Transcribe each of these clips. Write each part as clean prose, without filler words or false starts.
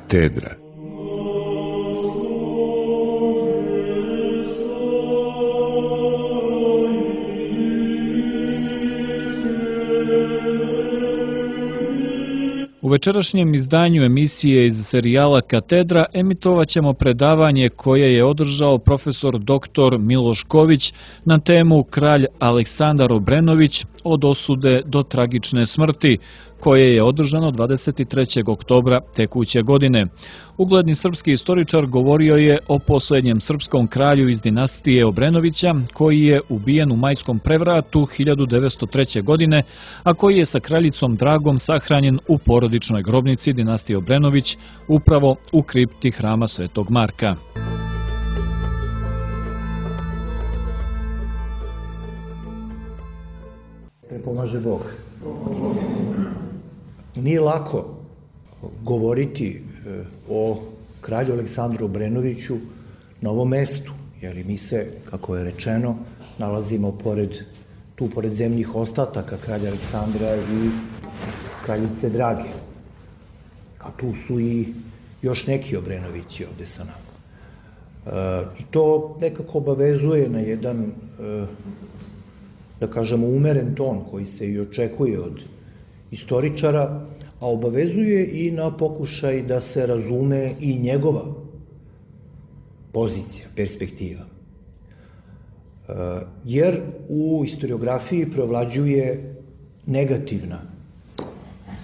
Katedra. U večerašnjem izdanju emisije iz serijala Katedra emitovat ćemo predavanje koje je održao profesor dr. Miloš Ković na temu Kralj Aleksandar Obrenović od osude do tragične smrti, koje je održano 23. oktobra tekuće godine. Ugledni srpski istoričar govorio je o posljednjem srpskom kralju iz dinastije Obrenovića, koji je ubijen u majskom prevratu 1903. godine, a koji je sa kraljicom Dragom sahranjen u porodičnoj grobnici dinastije Obrenović, upravo u kripti hrama Svetog Marka. Pomaže Bog. Nije lako govoriti o kralju Aleksandru Obrenoviću na ovom mestu, jer mi se, kako je rečeno, nalazimo pored zemljih ostataka kralja Aleksandra i kraljice Drage. A tu su i još neki Obrenovići ovde sa nama. I to nekako obavezuje na jedan, da kažemo, umeren ton koji se i očekuje od istoričara, a obavezuje i na pokušaj da se razume i njegova pozicija, perspektiva. Jer u historiografiji preovlađuje negativna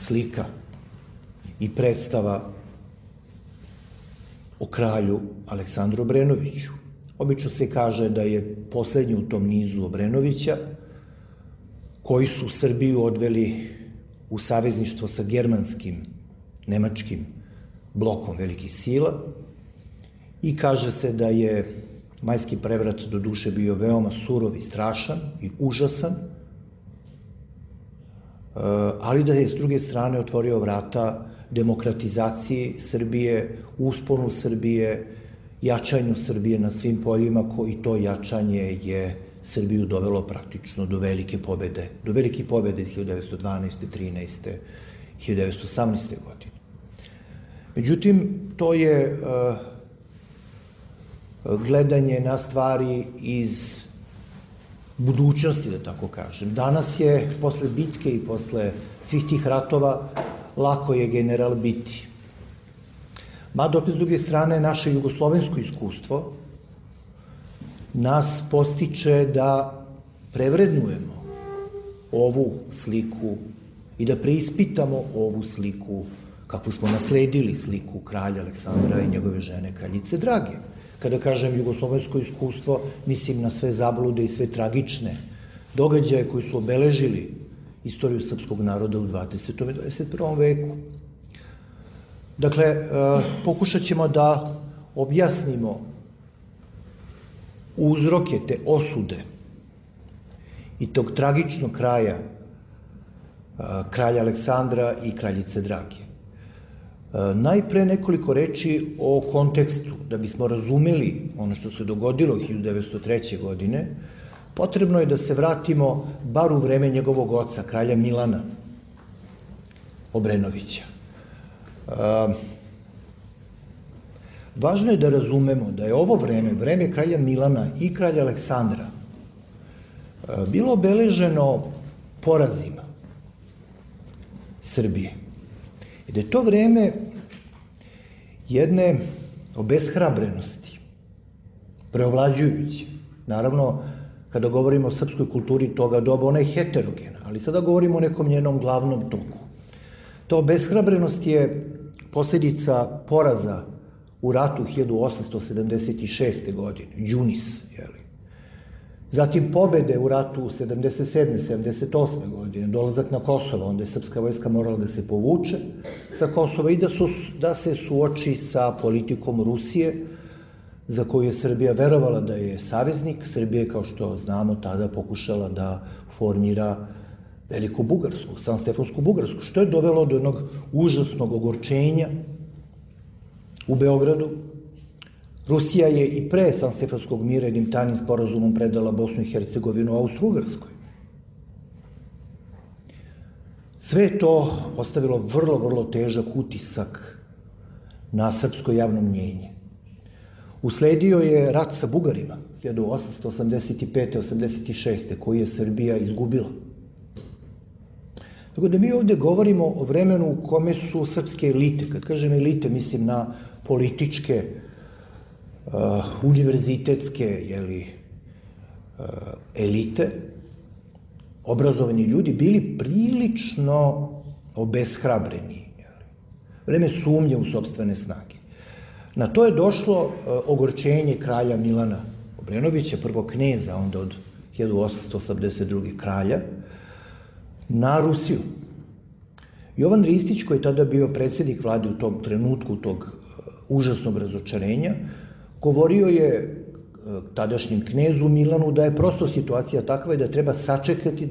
slika i predstava o kralju Aleksandru Obrenoviću. Obično se kaže da je poslednji u tom nizu Obrenovića, koji su Srbiju odveli u savezništvo sa germanskim, nemačkim blokom velikih sila, i kaže se da je majski prevrat do duše bio veoma surov i strašan i užasan, ali da je s druge strane otvorio vrata demokratizaciji Srbije, usponu Srbije, jačanju Srbije na svim poljima, i to jačanje je Srbiju dovelo praktično do velike pobede, iz 1912. 13. 1918. godine. Međutim, to je gledanje na stvari iz budućnosti, da tako kažem. Danas je, posle bitke i posle svih tih ratova, lako je general biti. Mada, opet s druge strane, naše jugoslovensko iskustvo nas postiče da prevrednujemo ovu sliku i da preispitamo ovu sliku, kakvu smo nasledili sliku kralja Aleksandra i njegove žene kraljice Drage. Kada kažem jugoslovensko iskustvo, mislim na sve zablude i sve tragične događaje koji su obeležili istoriju srpskog naroda u 20. i 21. veku. Dakle, pokušat ćemo da objasnimo uzroke te osude i tog tragičnog kraja kralja Aleksandra i kraljice Drage. Najpre nekoliko reči o kontekstu. Da bismo razumeli ono što se dogodilo 1903. godine, potrebno je da se vratimo bar u vreme njegovog oca, kralja Milana Obrenovića. Važno je da razumemo da je ovo vreme kralja Milana i kralja Aleksandra, bilo obeleženo porazima Srbije. I da je to vreme jedne obeshrabrenosti, preovlađujuće. Naravno, kada govorimo o srpskoj kulturi toga doba, ona je heterogena, ali sada govorimo o nekom njenom glavnom toku. Ta obeshrabrenost je posljedica poraza u ratu 1876. godine, Đunis, zatim pobede u ratu 77. 78. godine, dolazak na Kosovo, onda je srpska vojska morala da se povuče sa Kosova i da se suoči sa politikom Rusije, za koju je Srbija verovala da je saveznik. Srbija je, kao što znamo, tada pokušala da formira Veliku Bugarsku, Sanstefansku Bugarsku, što je dovelo do jednog užasnog ogorčenja u Beogradu. Rusija je i pre Sanstefanskog mira jednim tajnim sporazumom predala Bosnu i Hercegovinu Austro-Ugarskoj. Sve to ostavilo vrlo, vrlo težak utisak na srpsko javno mnjenje. Usledio je rat sa Bugarima 1885-86. koji je Srbija izgubila. Tako da mi ovde govorimo o vremenu u kome su srpske elite, kad kažem elite mislim na političke, univerzitetske elite, obrazovani ljudi bili prilično obeshrabreni. Vreme sumnje u sopstvene snage. Na to je došlo ogorčenje kralja Milana Obrenovića, prvo kneza, onda od 1882. kralja, na Rusiju. Jovan Ristić, koji je tada bio predsjednik vlade u tom trenutku tog užasnog razočarenja, govorio je tadašnjem knezu Milanu da je prosto situacija takva i da treba sačekati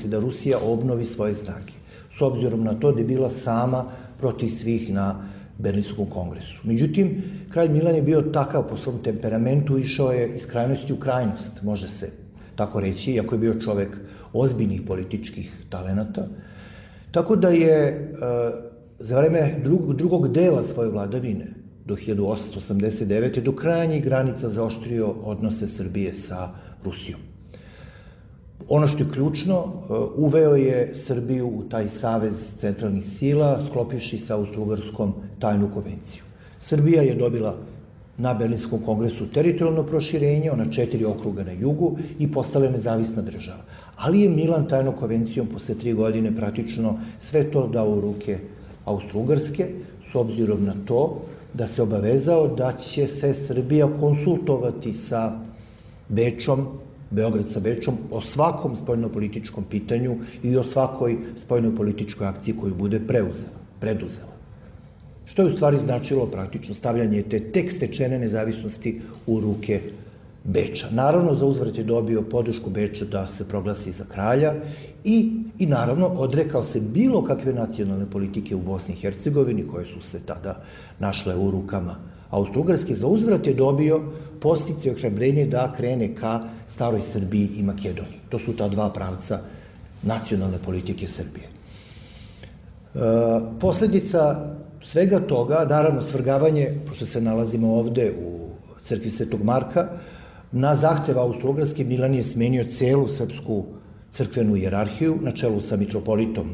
da Rusija obnovi svoje snage, s obzirom na to da je bila sama protiv svih na Berlinskom kongresu. Međutim, kralj Milan je bio takav po svom temperamentu, išao je iz krajnosti u krajnost, može se tako reći, iako je bio čovek ozbiljnih političkih talenata. Tako da je za vreme drugog dela svoje vladavine, do 1889. do krajnjih granica zaoštrio odnose Srbije sa Rusijom. Ono što je ključno, uveo je Srbiju u taj savez centralnih sila, sklopivši sa Austro-Ugarskom tajnu konvenciju. Srbija je dobila na Berlinskom kongresu teritorijalno proširenje, ona 4 okruga na jugu i postala je nezavisna država. Ali je Milan tajnom konvencijom posle 3 godine praktično sve to dao u ruke Austro-Ugarske, s obzirom na to da se obavezao da će se Srbija konsultovati sa Bečom, Beograd sa Bečom, o svakom spoljnopolitičkom pitanju i o svakoj spoljnopolitičkoj akciji koju bude preduzela. Što je u stvari značilo praktično stavljanje te tek stečene nezavisnosti u ruke Beča. Naravno, za uzvrat je dobio podršku Beča da se proglasi za kralja i naravno odrekao se bilo kakve nacionalne politike u Bosni i Hercegovini, koje su se tada našle u rukama Austro-Ugarske. Za uzvrat je dobio podsticaj i ohrabrenje da krene ka staroj Srbiji i Makedoniji. To su ta dva pravca nacionalne politike Srbije. Posledica svega toga, naravno svrgavanje, pošto se nalazimo ovde u crkvi Svetog Marka, na zahtev Austro-Ugarske Milan je smenio celu srpsku crkvenu hijerarhiju na čelu sa mitropolitom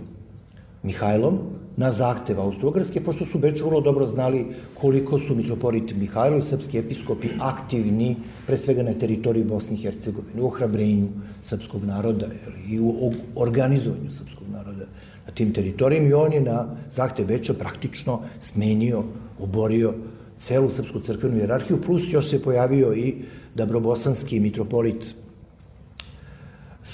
Mihajlom, na zahtev Austro-Ugarske, pošto su Beču vrlo dobro znali koliko su mitropolit Mihajlo i srpski episkopi aktivni, pre svega na teritoriji Bosne i Hercegovine, u ohrabrenju srpskog naroda i u organizovanju srpskog naroda na tim teritorijima, i on je na zahtev Beča praktično smenio, oborio celu srpsku crkvenu hijerarhiju, plus još se pojavio i dabrobosanski mitropolit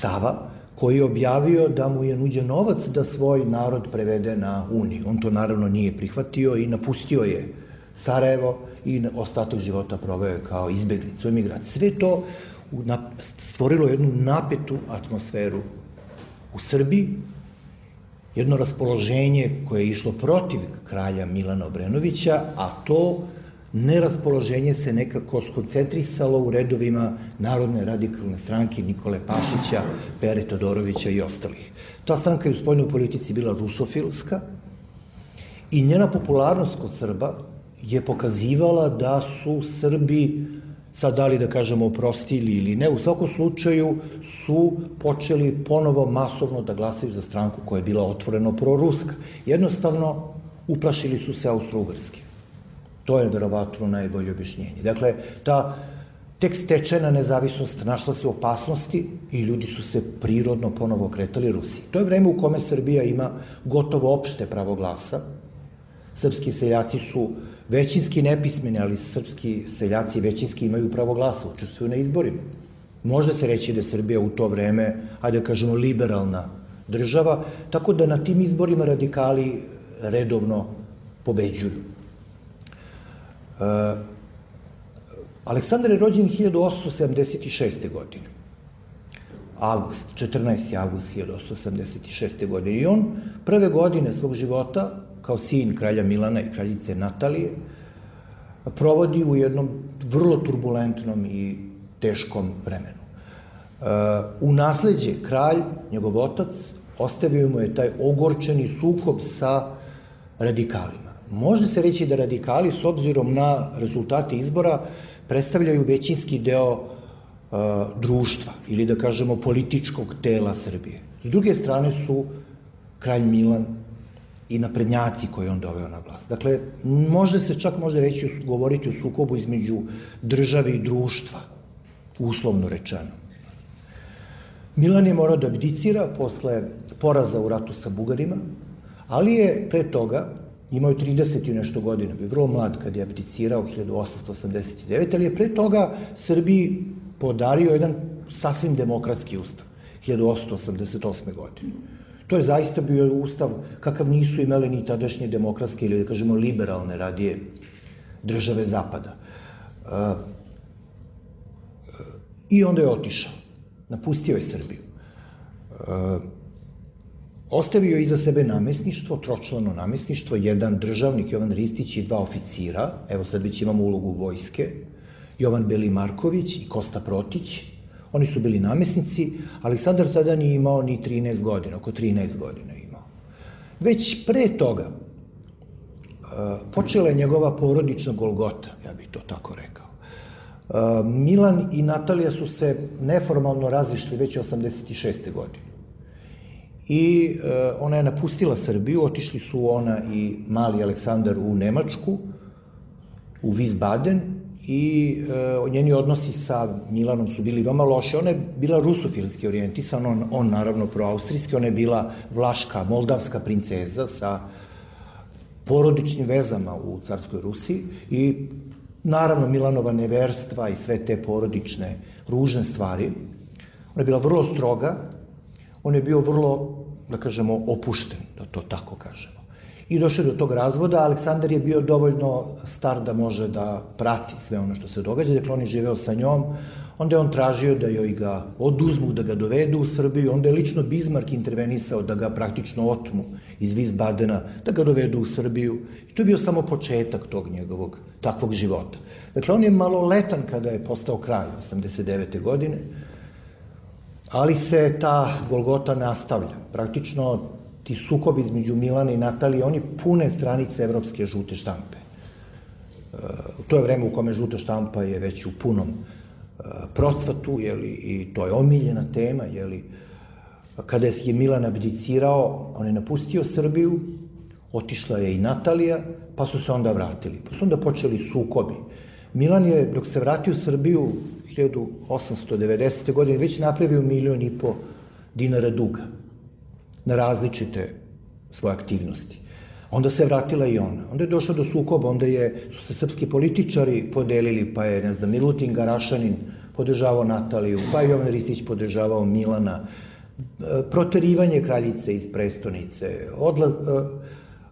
Sava, koji je objavio da mu je nuđen novac da svoj narod prevede na Uniju. On to naravno nije prihvatio i napustio je Sarajevo i ostatak života proveo je kao izbeglica, emigrant. Sve to stvorilo jednu napetu atmosferu u Srbiji, jedno raspoloženje koje je išlo protiv kralja Milana Obrenovića, a to neraspoloženje se nekako skoncentrisalo u redovima Narodne radikalne stranke Nikole Pašića, Pere Todorovića i ostalih. Ta stranka je u spoljnoj politici bila rusofilska i njena popularnost kod Srba je pokazivala da su Srbi, sad da li da kažemo oprostili ili ne, u svakom slučaju su počeli ponovo masovno da glasaju za stranku koja je bila otvoreno proruska. Jednostavno, uplašili su se Austro-Ugarske. To je verovatno najbolje objašnjenje. Dakle, ta tek stečena nezavisnost našla se u opasnosti i ljudi su se prirodno ponovo okretali Rusiji. To je vreme u kome Srbija ima gotovo opšte pravo glasa. Srpski seljaci su većinski nepismeni, ali srpski seljaci većinski imaju pravo glasa, učestvuju na izborima. Može se reći da je Srbija u to vreme, ajde da kažemo, liberalna država, tako da na tim izborima radikali redovno pobeđuju. Aleksandar je rođen 1876. godine. 14. avgust 1876. godine. I on prve godine svog života, kao sin kralja Milana i kraljice Natalije, provodi u jednom vrlo turbulentnom i teškom vremenu. U nasleđe kralj, njegov otac, ostavio mu je taj ogorčeni sukob sa radikalima. može se reći da radikali, s obzirom na rezultate izbora, predstavljaju većinski deo društva ili da kažemo političkog tela Srbije. S druge strane su kralj Milan i naprednjaci koji on doveo na vlast. Dakle, može se čak govoriti o sukobu između države i društva, uslovno rečeno. Milan je morao da abdicira posle poraza u ratu sa Bugarima, ali je pre toga, imao je 30 i nešto godina, bio vrlo mlad kad je abdicirao 1889, ali je pre toga Srbiji podario jedan sasvim demokratski ustav, 1888. godine. To je zaista bio ustav kakav nisu imali ni tadašnje demokratske ili da kažemo liberalne radije države Zapada. I onda je otišao, napustio je Srbiju. Ostavio je iza sebe namesništvo, tročlano namesništvo, jedan državnik, Jovan Ristić i 2 oficira, evo sad već imamo ulogu vojske, Jovan Beli Marković i Kosta Protić, oni su bili namesnici, Aleksandar tada nije imao ni 13 godina, oko 13 godina je imao. Već pre toga počela je njegova porodična golgota, ja bih to tako rekao. Milan i Natalija su se neformalno razišli već 86. godine. I ona je napustila Srbiju, otišli su ona i mali Aleksandar u Nemačku, u Wiesbaden, i njeni odnosi sa Milanom su bili veoma loši. Ona je bila rusofilski orijentisan, on naravno proaustrijski, ona je bila vlaška, moldavska princeza sa porodičnim vezama u carskoj Rusiji i naravno Milanova neverstva i sve te porodične ružne stvari. Ona je bila vrlo stroga, on je bio vrlo, da kažemo, opušten, da to tako kažemo. I došao do tog razvoda, Aleksandar je bio dovoljno star da može da prati sve ono što se događa, dakle on je živeo sa njom, onda je on tražio da joj ga oduzmu, da ga dovedu u Srbiju, onda je lično Bizmark intervenisao da ga praktično otmu iz Wiesbadena, da ga dovedu u Srbiju, i to je bio samo početak tog njegovog takvog života. Dakle, on je maloletan kada je postao kralj 89. godine, ali se ta golgota nastavlja. Praktično ti sukobi između Milana i Natalije, oni pune stranice evropske žute štampe. To je vreme u kome žuta štampa je već u punom procvatu, i to je omiljena tema. Kada je Milan abdicirao, on je napustio Srbiju, otišla je i Natalija, pa su se onda vratili. Pa su onda počeli sukobi. Milan je, dok se vratio u Srbiju 1890. godine, već napravio 1,5 miliona dinara duga na različite svoje aktivnosti. Onda se vratila i ona. Onda je došlo do sukoba, onda su se srpski političari podelili, pa je, Milutin Garašanin podržavao Nataliju, pa je Jovan Ristić podržavao Milana, proterivanje kraljice iz prestonice,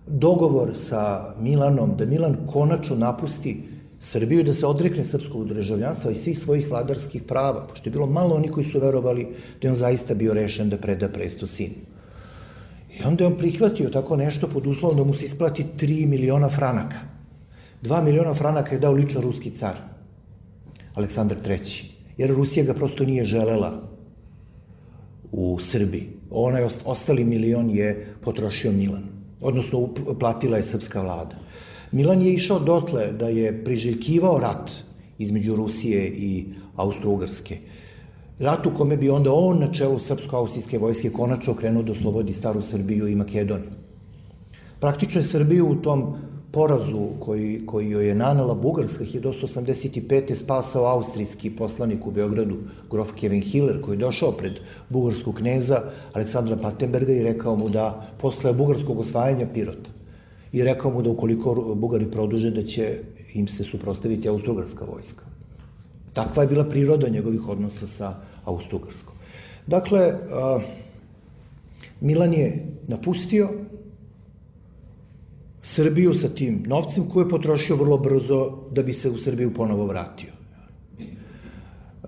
dogovor sa Milanom da Milan konačno napusti Srbiju i da se odrekne srpskog državljanstva i svih svojih vladarskih prava, pošto je bilo malo oni koji su verovali da je on zaista bio rešen da preda presto sinu. I onda je on prihvatio tako nešto pod uslovom da mu se isplati 3 miliona franaka. 2 miliona franaka je dao lično ruski car, Aleksandar III, jer Rusija ga prosto nije želela u Srbiji. Onaj ostali milion je potrošio Milan, odnosno platila je srpska vlada. Milan je išao dotle da je priželjkivao rat između Rusije i Austro-Ugarske. Rat u kome bi onda on na čelu srpsko-austrijske vojske konačno krenuo da oslobodi staru Srbiju i Makedoniju. Praktično je Srbiju u tom porazu koji joj je nanela Bugarska 1885. spasao austrijski poslanik u Beogradu, grof Kevin Hiller, koji je došao pred bugarskog kneza Aleksandra Patenberga i rekao mu da posle bugarskog osvajanja Pirota i rekao mu da ukoliko Bugari produže da će im se suprotstaviti austrougarska vojska. Takva je bila priroda njegovih odnosa sa Austrougarskom. Dakle, Milan je napustio Srbiju sa tim novcem koji je potrošio vrlo brzo da bi se u Srbiju ponovo vratio.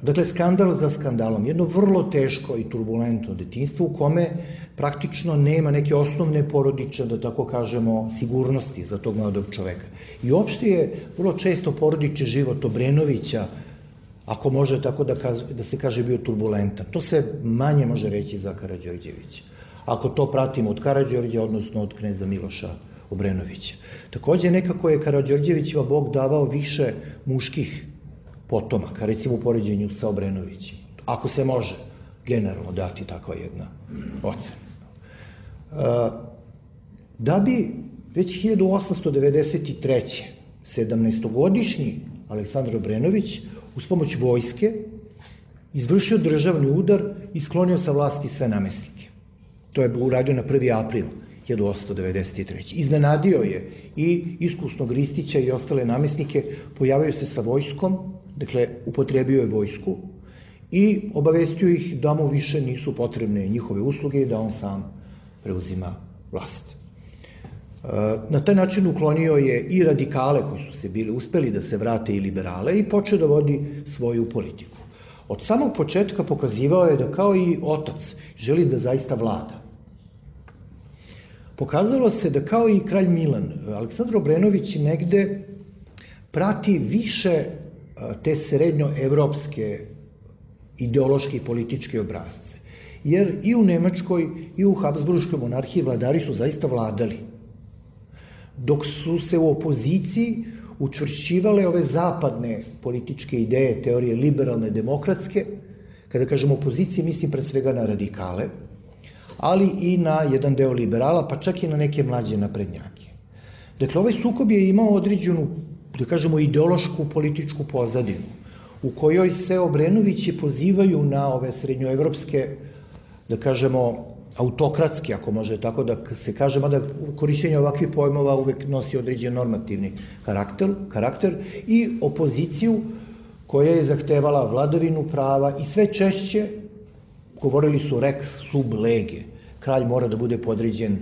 Dakle, skandal za skandalom. Jedno vrlo teško i turbulentno detinjstvo u kome praktično nema neke osnovne porodične, da tako kažemo, sigurnosti za tog mladog čoveka. I uopšte je vrlo često porodični život Obrenovića, ako može tako da se kaže, bio turbulentan. To se manje može reći za Karađorđevića. Ako to pratimo od Karađorđa, odnosno od kneza Miloša Obrenovića. Takođe, nekako je Karađorđevićima Bog davao više muških potomaka, recimo u poređenju sa Obrenovićem. Ako se može generalno dati takva jedna ocena. Da bi već 1893. 17-godišnji Aleksandar Obrenović uz pomoć vojske izvršio državni udar i sklonio sa vlasti sve namestnike. To je uradio na 1. april 1893. Iznenadio je i iskusnog Ristića i ostale namestnike, pojavio se sa vojskom, dakle upotrebio je vojsku i obavestio ih da mu više nisu potrebne njihove usluge i da on sam preuzima vlast. Na taj način uklonio je i radikale koji su se bili uspeli da se vrate i liberale i počeo da vodi svoju politiku. Od samog početka pokazivao je da kao i otac želi da zaista vlada. Pokazalo se da kao i kralj Milan, Aleksandar Obrenović negde prati više te srednjoevropske ideološke i političke obrazce. Jer i u Nemačkoj i u Habsburškoj monarhiji vladari su zaista vladali. Dok su se u opoziciji učvršćivale ove zapadne političke ideje, teorije liberalne, demokratske, kada kažem opozicije, mislim pred svega na radikale, ali i na jedan deo liberala, pa čak i na neke mlađe naprednjake. Dakle, ovaj sukob je imao određenu, da kažemo, ideološku političku pozadinu, u kojoj se Obrenovići pozivaju na ove srednjoevropske, da kažemo, autokratski, ako može tako da se kaže, mada korišćenje ovakvih pojmova uvek nosi određen normativni karakter i opoziciju koja je zahtevala vladavinu prava i sve češće govorili su rex sub lege. Kralj mora da bude podređen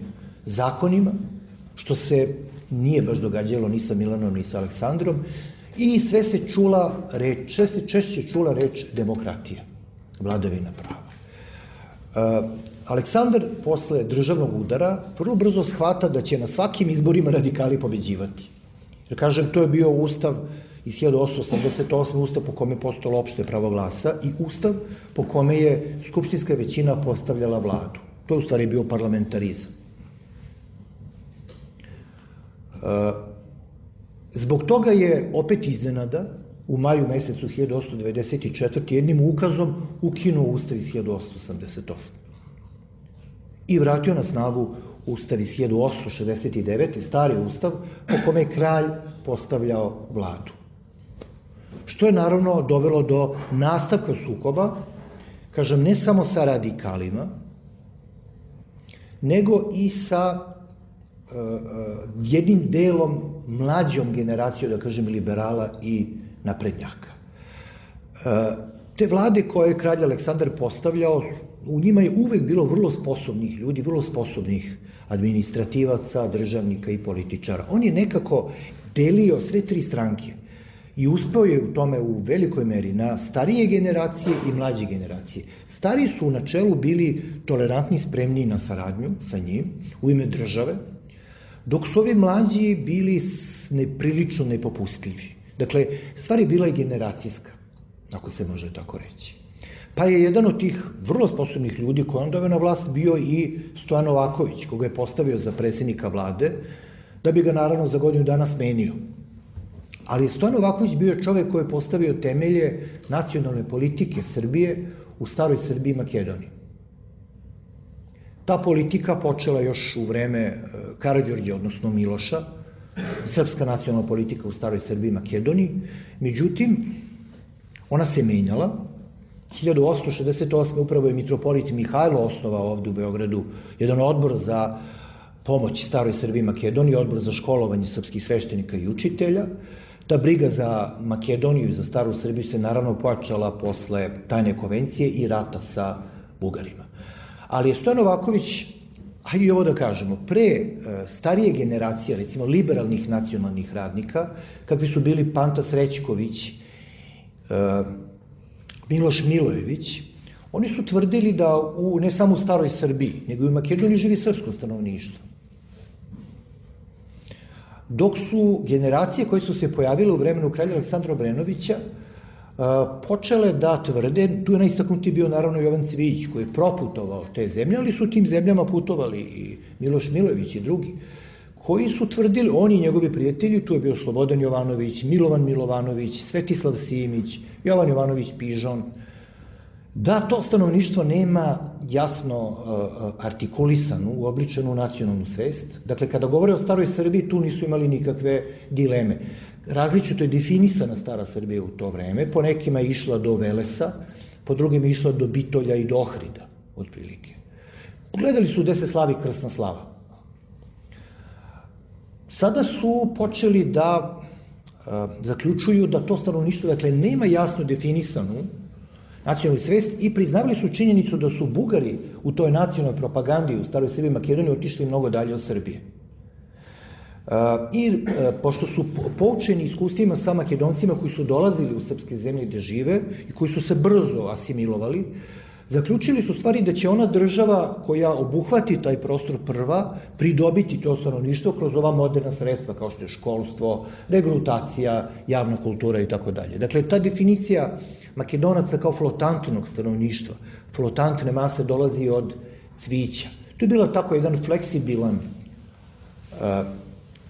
zakonima, što se nije baš događalo ni sa Milanom ni sa Aleksandrom, i sve se češće čula reč demokratija, vladavina prava. Aleksandar posle državnog udara vrlo brzo shvata da će na svakim izborima radikali pobeđivati. Jer kažem, to je bio ustav iz 1888. ustav po kome je postojalo opšte pravo glasa i ustav po kome je skupštinska većina postavljala vladu. To je u stvari bio parlamentarizam. Zbog toga je opet iznenada u maju mesecu 1894. jednim ukazom ukinuo ustav iz 1888. I vratio na snagu ustav iz 1869. stari ustav po kome je kralj postavljao vladu. Što je naravno dovelo do nastavka sukoba, kažem, ne samo sa radikalima, nego i sa jednim delom mlađom generacijom, da kažem, liberala i naprednjaka. Te vlade koje je kralj Aleksandar postavljao, u njima je uvek bilo vrlo sposobnih ljudi, vrlo sposobnih administrativaca, državnika i političara. On je nekako delio sve tri stranke i uspeo je u tome u velikoj meri na starije generacije i mlađe generacije. Stari su u načelu bili tolerantni, spremni na saradnju sa njim u ime države, dok su ovi mlađi bili prilično nepopustljivi. Dakle, stvar je bila i generacijska, ako se može tako reći. Pa je jedan od tih vrlo sposobnih ljudi koji on doveo na vlast bio i Stojan Novaković, koga je postavio za predsjednika vlade, da bi ga naravno za godinu dana smenio. Ali Stojan Novaković bio čovek koji je postavio temelje nacionalne politike Srbije u staroj Srbiji i Makedoniji. Ta politika počela još u vreme Karađorđa, odnosno Miloša, srpska nacionalna politika u staroj Srbiji i Makedoniji. Međutim, ona se menjala. 1868. upravo je mitropolit Mihajlo osnovao ovde u Beogradu jedan odbor za pomoć staroj Srbiji i Makedoniji, odbor za školovanje srpskih sveštenika i učitelja. Ta briga za Makedoniju i za staru Srbiju se naravno pojačala posle tajne konvencije i rata sa Bugarima. Ali je Stojan Novaković, hajde i ovo da kažemo, pre starije generacije, recimo liberalnih nacionalnih radnika, kakvi su bili Panta Srećković, Miloš Milojević, oni su tvrdili da ne samo u staroj Srbiji, nego i u Makedoniji živi srpsko stanovništvo. Dok su generacije koje su se pojavile u vremenu kralja Aleksandra Obrenovića počele da tvrde, tu je najistaknuti bio naravno Jovan Cvijić koji je proputovao te zemlje, ali su tim zemljama putovali i Miloš Milojević i drugi, koji su tvrdili, oni i njegovi prijatelji, tu je bio Slobodan Jovanović, Milovan Milovanović, Svetislav Simić, Jovan Jovanović Pižon, da to stanovništvo nema jasno artikulisanu, uobličenu nacionalnu svest. Dakle, kada govore o staroj Srbiji, tu nisu imali nikakve dileme. Različito je definisana stara Srbija u to vreme, po nekima je išla do Velesa, po drugim je išla do Bitolja i do Ohrida, otprilike. Gledali su gde se slavi krsna slava. Sada su počeli da zaključuju da to stanovništvo, dakle, nema jasno definisanu nacionalnu svest i priznavali su činjenicu da su Bugari u toj nacionalnoj propagandi u staroj Srbiji i Makedoniji otišli mnogo dalje od Srbije. I pošto su poučeni iskustvima sa Makedoncima koji su dolazili u srpske zemlje gde žive i koji su se brzo asimilovali, zaključili su stvari da će ona država koja obuhvati taj prostor prva pridobiti to stanovništvo kroz ova moderna sredstva kao što je školstvo, regrutacija, javna kultura i tako dalje. Dakle, ta definicija Makedonaca kao flotantnog stanovništva, flotantne mase dolazi od cvića. To je bilo tako jedan fleksibilan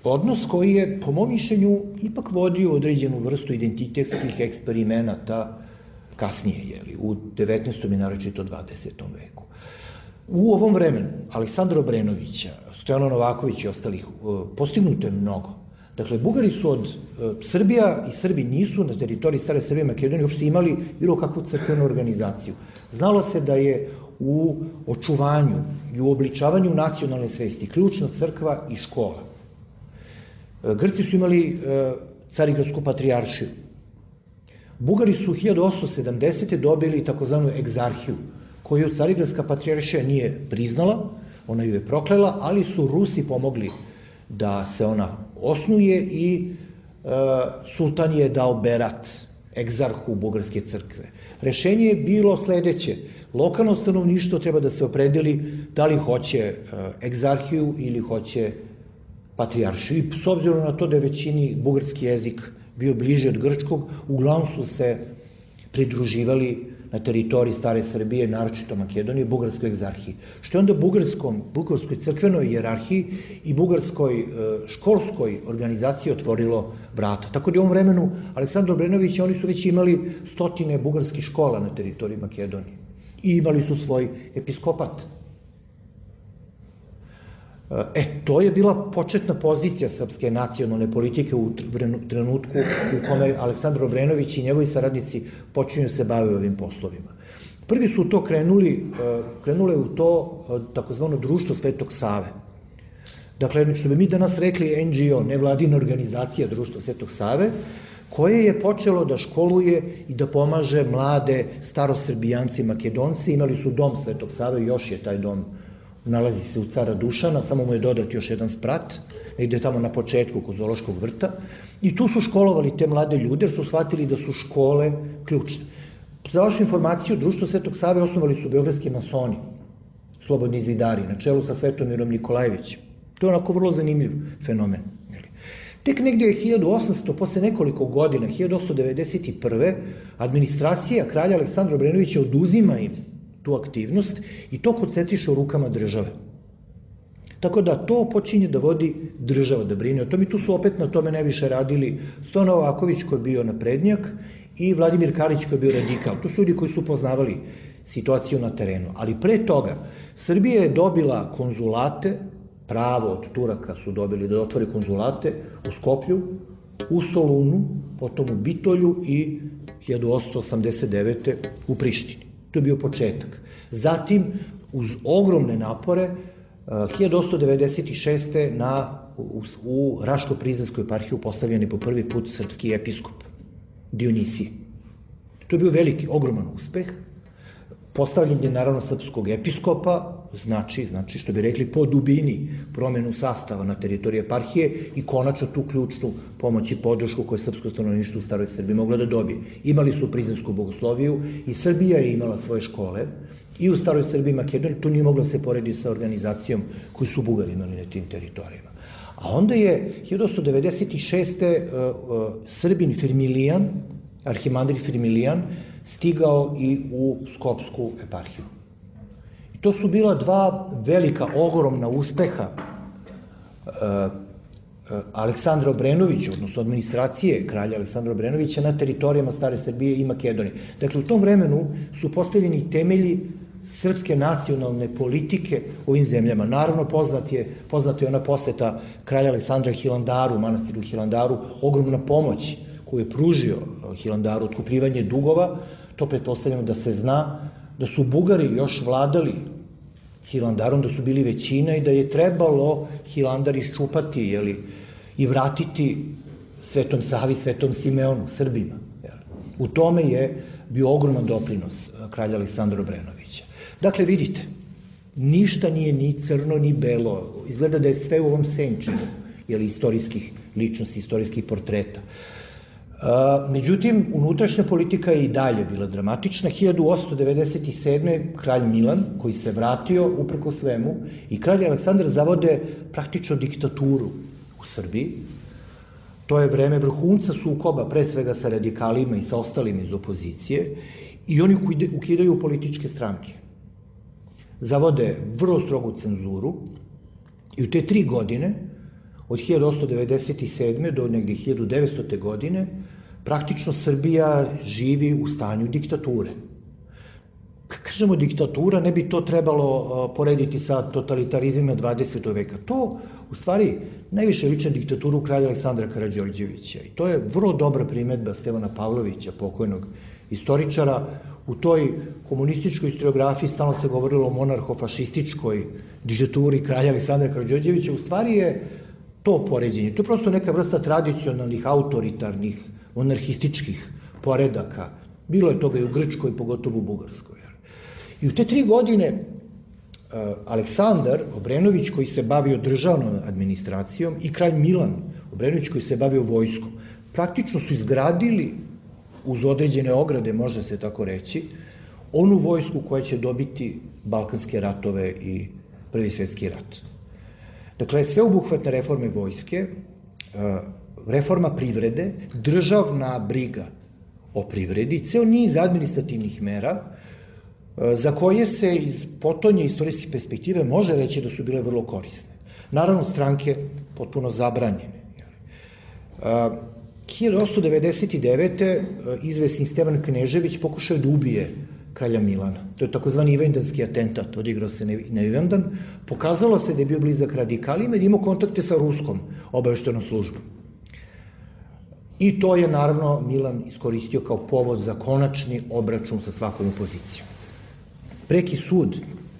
odnos koji je, po mom mišljenju, ipak vodio određenu vrstu identitetskih eksperimenata kasnije, u 19. i naročito 20. veku. U ovom vremenu Aleksandra Obrenovića, Stojana Novakovića i ostalih postignuto je mnogo. Dakle, Bugari su od Srbija i Srbi nisu na teritoriji stare Srbije i Makedonije uopšte imali bilo kakvu crkvenu organizaciju. Znalo se da je u očuvanju i u obličavanju nacionalne svesti ključna crkva i škola. Grci su imali Carigradsku patrijaršiju. Bugari su 1870. dobili takozvanu egzarhiju, koju Carigradska patrijaršija nije priznala, ona ju je proklela, ali su Rusi pomogli da se ona osnuje i sultan je dao berat egzarhu Bugarske crkve. Rešenje je bilo sledeće: lokalno stanovništvo treba da se opredeli da li hoće egzarhiju ili hoće patrijaršiju. I s obzirom na to da je većini bugarski jezik bio bliže od grčkog, uglavnom su se pridruživali na teritoriji stare Srbije, naročito Makedonije, bugarskoj egzarhiji. Što je onda bugarskoj crkvenoj hijerarhiji i bugarskoj školskoj organizaciji otvorilo vrata. Tako da u ovom vremenu Aleksandra Obrenovića oni su već imali stotine bugarskih škola na teritoriji Makedonije i imali su svoj episkopat. To je bila početna pozicija srpske nacionalne politike u trenutku u kome Aleksandar Obrenović i njegovi saradnici počinju se bave ovim poslovima. Prvi su to krenule u to takozvano društvo Svetog Save. Dakle, što bi mi danas rekli NGO, nevladina organizacija društva Svetog Save, koje je počelo da školuje i da pomaže mlade starosrbijanci i Makedonci. Imali su dom Svetog Save, još je taj dom, nalazi se u Cara Dušana, samo mu je dodat još jedan sprat, negde tamo na početku kod Zoološkog vrta, i tu su školovali te mlade ljude, jer su shvatili da su škole ključne. Za vašu informaciju, društvo Svetog Save osnovali su beogradski masoni, slobodni zidari, na čelu sa Svetomirom Nikolajevićem. To je onako vrlo zanimljiv fenomen. Tek negdje je 1800, posle nekoliko godina, 1891. administracija kralja Aleksandra Obrenovića oduzima im tu aktivnost i to koncentriše u rukama države. Tako da to počinje da vodi država, da brine o tome, i tu su opet na tome najviše radili Stojan Novaković koji je bio naprednjak i Vladimir Karić koji je bio radikal. To su ljudi koji su poznavali situaciju na terenu. Ali pre toga Srbija je dobila konzulate, pravo od Turaka su dobili da otvore konzulate u Skoplju, u Solunu, potom u Bitolju i 1889. u Prištini. To je bio početak. Zatim, uz ogromne napore, 1896. U Raško-Prizrenskoj eparhiju postavljen je po prvi put srpski episkop Dionisije. To je bio veliki, ogroman uspeh. Postavljen je naravno srpskog episkopa, znači, što bi rekli, po dubini promenu sastava na teritoriji eparhije i konačno tu ključnu pomoć i podršku koju je srpsko stanovništvo u staroj Srbiji moglo da dobije. Imali su prizrensku bogosloviju i Srbija je imala svoje škole i u staroj Srbiji i Makedoniji. To nije moglo se porediti sa organizacijom koju su Bugari imali na tim teritorijama. A onda je 1896. Srbin Firmilijan, arhimandrit Firmilijan, stigao i u Skopsku eparhiju. I to su bila dva velika, ogromna uspeha Aleksandra Obrenovića, odnosno administracije kralja Aleksandra Obrenovića na teritorijama Stare Srbije i Makedonije. Dakle, u tom vremenu su postavljeni temelji srpske nacionalne politike u ovim zemljama. Naravno, poznata je ona poseta kralja Aleksandra Hilandaru, manastiru Hilandaru, ogromna pomoć koju je pružio Hilandaru, otkupljivanje dugova. To pretpostavljamo da se zna, da su Bugari još vladali Hilandarom, da su bili većina i da je trebalo Hilandar iščupati i vratiti Svetom Savi, Svetom Simeonu, Srbima. U tome je bio ogroman doprinos kralja Aleksandra Obrenovića. Dakle, vidite, ništa nije ni crno ni belo, izgleda da je sve u ovom senčinu istorijskih ličnosti, istorijskih portreta. Međutim, unutrašnja politika je i dalje bila dramatična. 1897. kralj Milan, koji se vratio uprko svemu, i kralj Aleksandar zavode praktično diktaturu u Srbiji. To je vreme vrhunca sukoba, pre svega sa radikalima i sa ostalima iz opozicije, i oni ukidaju političke stranke. Zavode vrlo strogu cenzuru i u te 3 godine, od 1897. do negdje 1900. godine, praktično Srbija živi u stanju diktature. Kad kažemo diktatura, ne bi to trebalo porediti sa totalitarizmima 20. veka. To, u stvari, najviše liči na diktaturu kralja Aleksandra Karađorđevića. I to je vrlo dobra primedba Stevana Pavlovića, pokojnog istoričara. U toj komunističkoj historiografiji stalno se govorilo o monarho-fašističkoj diktaturi kralja Aleksandra Karađorđevića. U stvari je to poređenje. To je prosto neka vrsta tradicionalnih, autoritarnih, monarhističkih poredaka. Bilo je toga i u Grčkoj, pogotovo u Bugarskoj. I u te 3 godine Aleksandar Obrenović, koji se bavio državnom administracijom, i kralj Milan Obrenović, koji se bavio vojskom, praktično su izgradili, uz određene ograde, može se tako reći, onu vojsku koja će dobiti Balkanske ratove i Prvi svjetski rat. Dakle, sveobuhvatne reforme vojske, reforma privrede, državna briga o privredi, ceo niz administrativnih mera za koje se iz potonje istorijske perspektive može reći da su bile vrlo korisne. Naravno, stranke potpuno zabranjene. 1899. izvesni Stevan Knežević pokušao da ubije kralja Milana. To je takozvani ivanjdanski atentat, odigrao se na Ivanjdan. Pokazalo se da je bio blizak radikalima i da imao kontakte sa ruskom obaveštajnom službom. I to je, naravno, Milan iskoristio kao povod za konačni obračun sa svakom opozicijom. Preki sud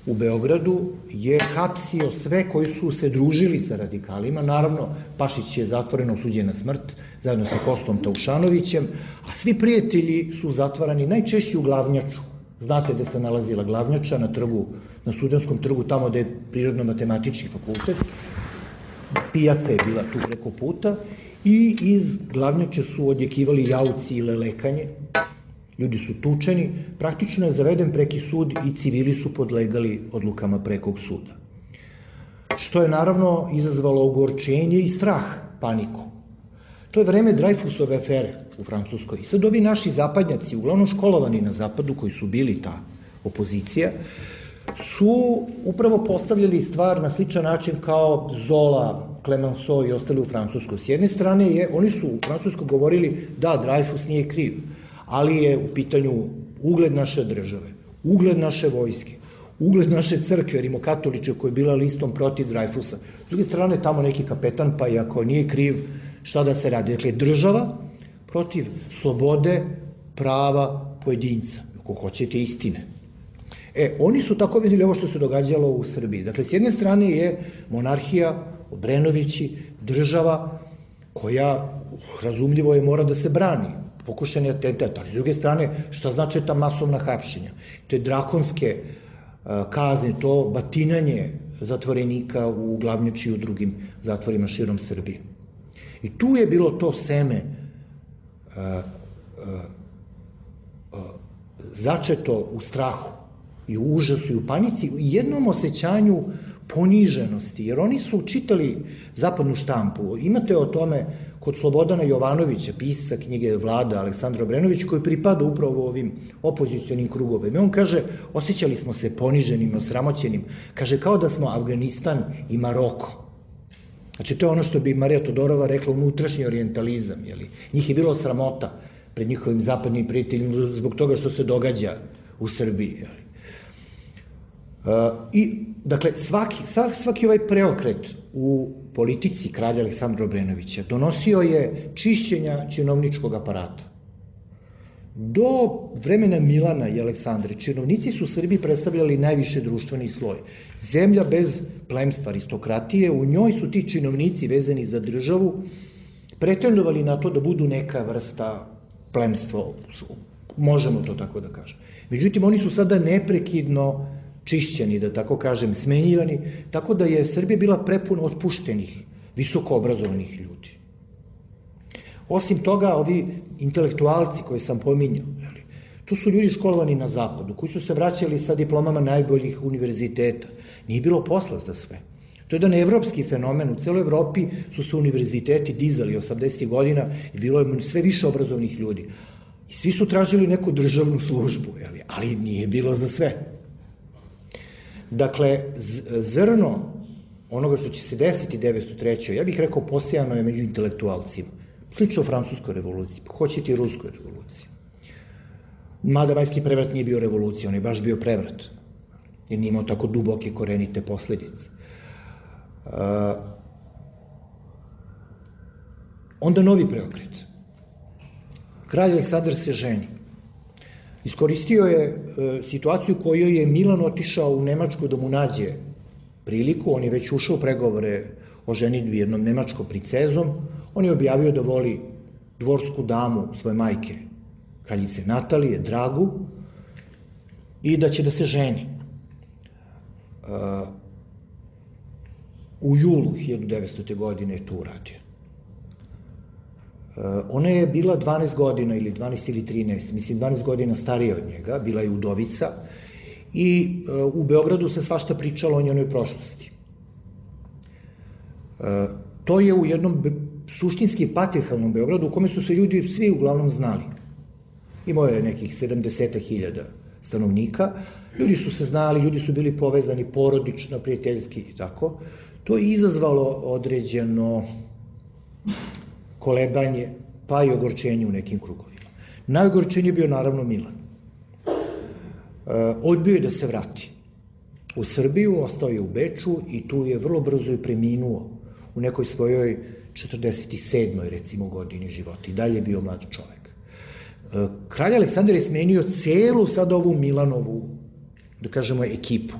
u Beogradu je hapsio sve koji su se družili sa radikalima. Naravno, Pašić je zatvoreno osuđen na smrt, zajedno sa Kostom Taušanovićem, a svi prijatelji su zatvarani najčešće u Glavnjaču. Znate da se nalazila Glavnjača na Studentskom trgu, tamo gde je Prirodno-matematički fakultet. Pijaca je bila tu preko puta i iz Glavnjače su odjekivali jauci i lelekanje. Ljudi su tučeni, praktično je zaveden preki sud i civili su podlegali odlukama prekog suda. Što je naravno izazvalo ogorčenje i strah, paniku. To je vreme Dreyfusove afere u Francuskoj. I sad ovi naši zapadnjaci, uglavnom školovani na zapadu, koji su bili ta opozicija, su upravo postavljali stvar na sličan način kao Zola, Clemenceau i ostali u Francuskoj. S jedne strane, oni su u Francuskoj govorili da Dreyfus nije kriv, ali je u pitanju ugled naše države, ugled naše vojske, ugled naše crkve, rimokatoliče, koja je bila listom protiv Dreyfusa. S druge strane, tamo neki kapetan, pa i ako nije kriv, šta da se radi? Dakle, država protiv slobode, prava pojedinca, ako hoćete istine. Oni su tako vidjeli ovo što se događalo u Srbiji. Dakle, s jedne strane je monarhija, Obrenovići, država koja, razumljivo je, mora da se brani, pokušani atentat, ali s druge strane, šta znači ta masovna hapšenja? Te drakonske kazne, to batinanje zatvorenika u Glavnjači i u drugim zatvorima širom Srbije. I tu je bilo to seme začeto u strahu i u užasu i u panici i jednom osjećanju poniženosti, jer oni su čitali zapadnu štampu. Imate o tome kod Slobodana Jovanovića, pisca knjige Vlada, Aleksandra Obrenović, koji pripada upravo ovim opozicionim krugovima. On kaže, osjećali smo se poniženim, osramoćenim, kaže, kao da smo Afganistan i Maroko. Znači, to je ono što bi Marija Todorova rekla unutrašnji orijentalizam. Njih je bilo sramota pred njihovim zapadnim prijateljima zbog toga što se događa u Srbiji. I, dakle, svaki ovaj preokret u politici kralja Aleksandra Obrenovića donosio je čišćenja činovničkog aparata. Do vremena Milana i Aleksandre, činovnici su u Srbiji predstavljali najviše društveni sloj. Zemlja bez plemstva, aristokratije, u njoj su ti činovnici vezani za državu pretendovali na to da budu neka vrsta plemstva, možemo to tako da kažem. Međutim, oni su sada neprekidno čišćeni, da tako kažem, smenjivani, tako da je Srbija bila prepuna otpuštenih, visoko obrazovanih ljudi. Osim toga, ovi intelektualci koje sam pominjao, to su ljudi školovani na zapadu, koji su se vraćali sa diplomama najboljih univerziteta. Nije bilo posla za sve. To je jedan evropski fenomen. U celoj Evropi su se univerziteti dizali 80. godina i bilo je sve više obrazovnih ljudi. I svi su tražili neku državnu službu, ali nije bilo za sve. Dakle, zrno onoga što će se desiti 1903. ja bih rekao posejano je među intelektualcima. Slično Francuskoj revoluciji, hoćete i Ruskoj revoluciji. Mada Majski prevrat nije bio revolucija, on je baš bio prevrat, jer nije imao tako duboke korenite posledice. Onda novi preokret. Kralj Aleksandar se ženi. Iskoristio je situaciju u kojoj je Milan otišao u Nemačku da mu nađe priliku, on je već ušao u pregovore o ženidbi jednom nemačkom princezom, on je objavio da voli dvorsku damu svoje majke, kraljice Natalije, Dragu, i da će da se ženi. U julu 1900. godine je to uradio. Ona je bila 12 godina, ili 12 ili 13, mislim 12 godina starija od njega, bila je udovica i u Beogradu se svašta pričalo o njenoj prošlosti. To je u jednom suštinski patriarhalnom Beogradu u kome su se ljudi svi uglavnom znali. Imao je nekih 70.000 stanovnika, ljudi su se znali, ljudi su bili povezani porodično, prijateljski i tako. To je izazvalo određeno kolebanje, pa i ogorčenje u nekim krugovima. Najogorčenije je bio naravno Milan. Odbio je da se vrati u Srbiju, ostao je u Beču i tu je vrlo brzo i preminuo u nekoj svojoj 47. recimo godini života. I dalje je bio mlad čovek. Kralj Aleksandar je smenio celu sad ovu Milanovu, da kažemo, ekipu,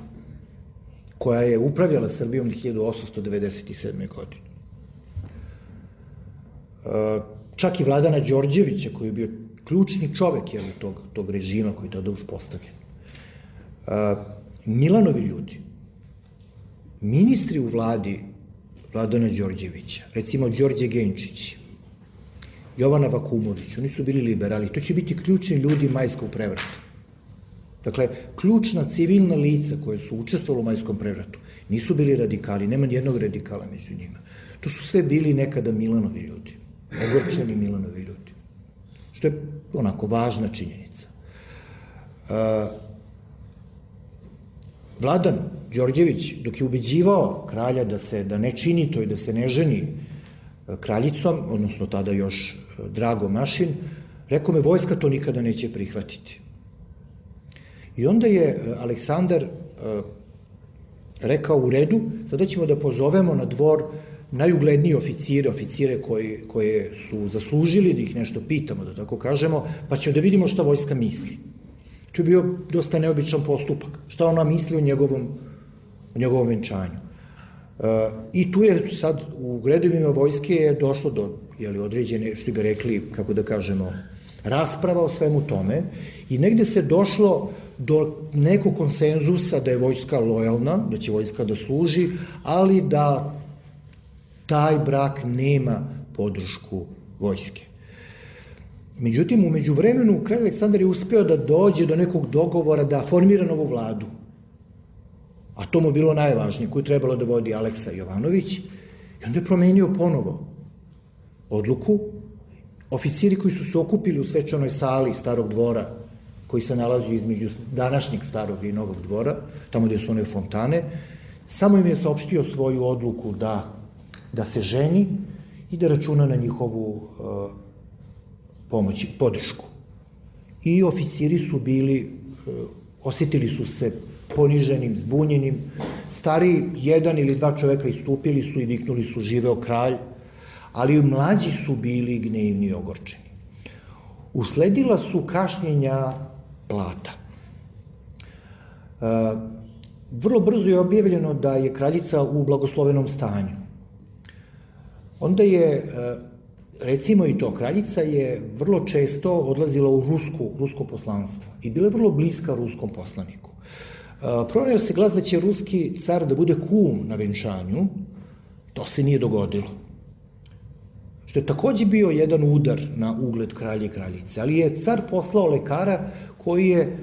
koja je upravljala Srbijom 1897. godine. Čak i Vladana Đorđevića, koji je bio ključni čovek tog režima koji je tada uspostavljen. Milanovi ljudi, ministri u vladi Vladana Đorđevića, recimo Đorđe Genčić, Jovana Vakumović, oni su bili liberali, to će biti ključni ljudi Majskog prevrata. Dakle, ključna civilna lica koje su učestvovali u Majskom prevratu nisu bili radikali, nema nijednog radikala među njima. To su sve bili nekada Milanovi ljudi, ogorčeni Milanovi ljudi, što je onako važna činjenica. Vladan Đorđević, dok je ubeđivao kralja da ne čini to i da se ne ženi kraljicom, odnosno tada još Drago Mašin, rekao me, vojska to nikada neće prihvatiti. I onda je Aleksandar rekao, u redu, sada ćemo da pozovemo na dvor najuglednije oficire koje su zaslužili, da ih nešto pitamo, da tako kažemo, pa ćemo da vidimo šta vojska misli. To je bio dosta neobičan postupak. Šta ona misli o njegovom venčanju. I tu je sad u redovima vojske je došlo do određene, što bi rekli, kako da kažemo, rasprava o svemu tome i negde se došlo do nekog konsenzusa da je vojska lojalna, da će vojska da služi, ali da taj brak nema podršku vojske. Međutim, umeđu vremenu, kralj Aleksandar je uspeo da dođe do nekog dogovora da formira novu vladu. A to mu bilo najvažnije, koju trebalo da vodi Aleksa Jovanović, i onda je promenio ponovo odluku. Oficiri koji su se okupili u svečanoj sali Starog dvora, koji se nalazi između današnjeg Starog i Novog dvora, tamo gde su one fontane, samo im je saopštio svoju odluku da da se ženi i da računa na njihovu pomoć, podršku. I oficiri su bili, osjetili su se poniženim, zbunjenim. Stariji, jedan ili dva čoveka istupili su i viknuli su živeo kralj, ali mlađi su bili gnevni i ogorčeni. Usledila su kašnjenja plata. Vrlo brzo je objavljeno da je kraljica u blagoslovenom stanju. Onda je, recimo i to, kraljica je vrlo često odlazila u rusko poslanstvo i bila je vrlo bliska ruskom poslaniku. Proneo se glas da će ruski car da bude kum na venčanju, to se nije dogodilo. Što je takođe bio jedan udar na ugled kralja i kraljice, ali je car poslao lekara koji je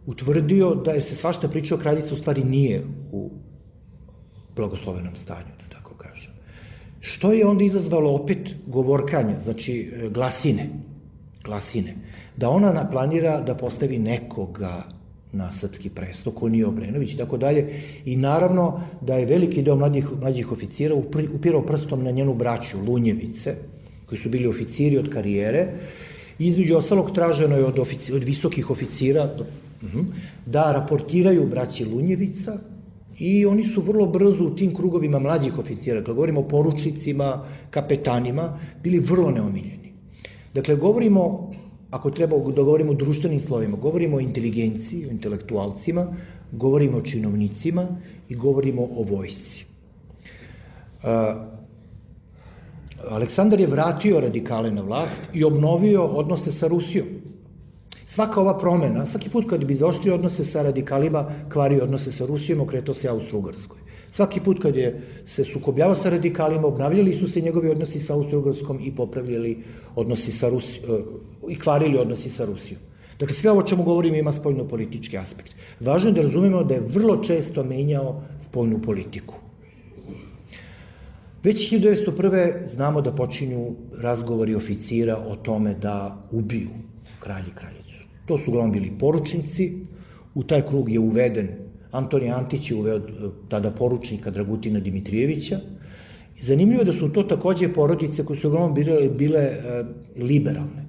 utvrdio da je se svašta pričao, kraljica u stvari nije u blagoslovenom stanju, da tako kažem. Što je onda izazvalo opet govorkanje, znači glasine, da ona planira da postavi nekoga na srpski presto, ko nije Obrenović i tako dalje, i naravno da je veliki deo mlađih oficira upirao prstom na njenu braću, Lunjevice, koji su bili oficiri od karijere. Između ostalog traženo je od visokih oficira da raportiraju braći Lunjevica i oni su vrlo brzo u tim krugovima mlađih oficira, kada govorimo o poručnicima, kapetanima, bili vrlo neomiljeni. Dakle, govorimo, ako treba da govorimo o društvenim slovima, govorimo o inteligenciji, o intelektualcima, govorimo o činovnicima i govorimo o vojsci. Aleksandar je vratio radikale na vlast i obnovio odnose sa Rusijom. Svaka ova promena, svaki put kad bi zaoštrio odnose sa radikalima, kvario odnose sa Rusijom, okretao se Austro-Ugarskoj. Svaki put kad je se sukobljavao sa radikalima, obnavljali su se njegovi odnosi sa Austro-Ugarskom i popravljali odnosi sa Rusijom, i kvarili odnosi sa Rusijom. Dakle, sve ovo čemu govorimo ima spoljno-politički aspekt. Važno je da razumemo da je vrlo često menjao spoljnu politiku. Već 1901. znamo da počinju razgovori oficira o tome da ubiju kralj i kraljicu. To su uglavnom bili poručnici, u taj krug je uveden Antonije Antić, je uveo tada poručnika Dragutina Dimitrijevića. Zanimljivo je da su to takođe porodice koje su uglavnom bile liberalne.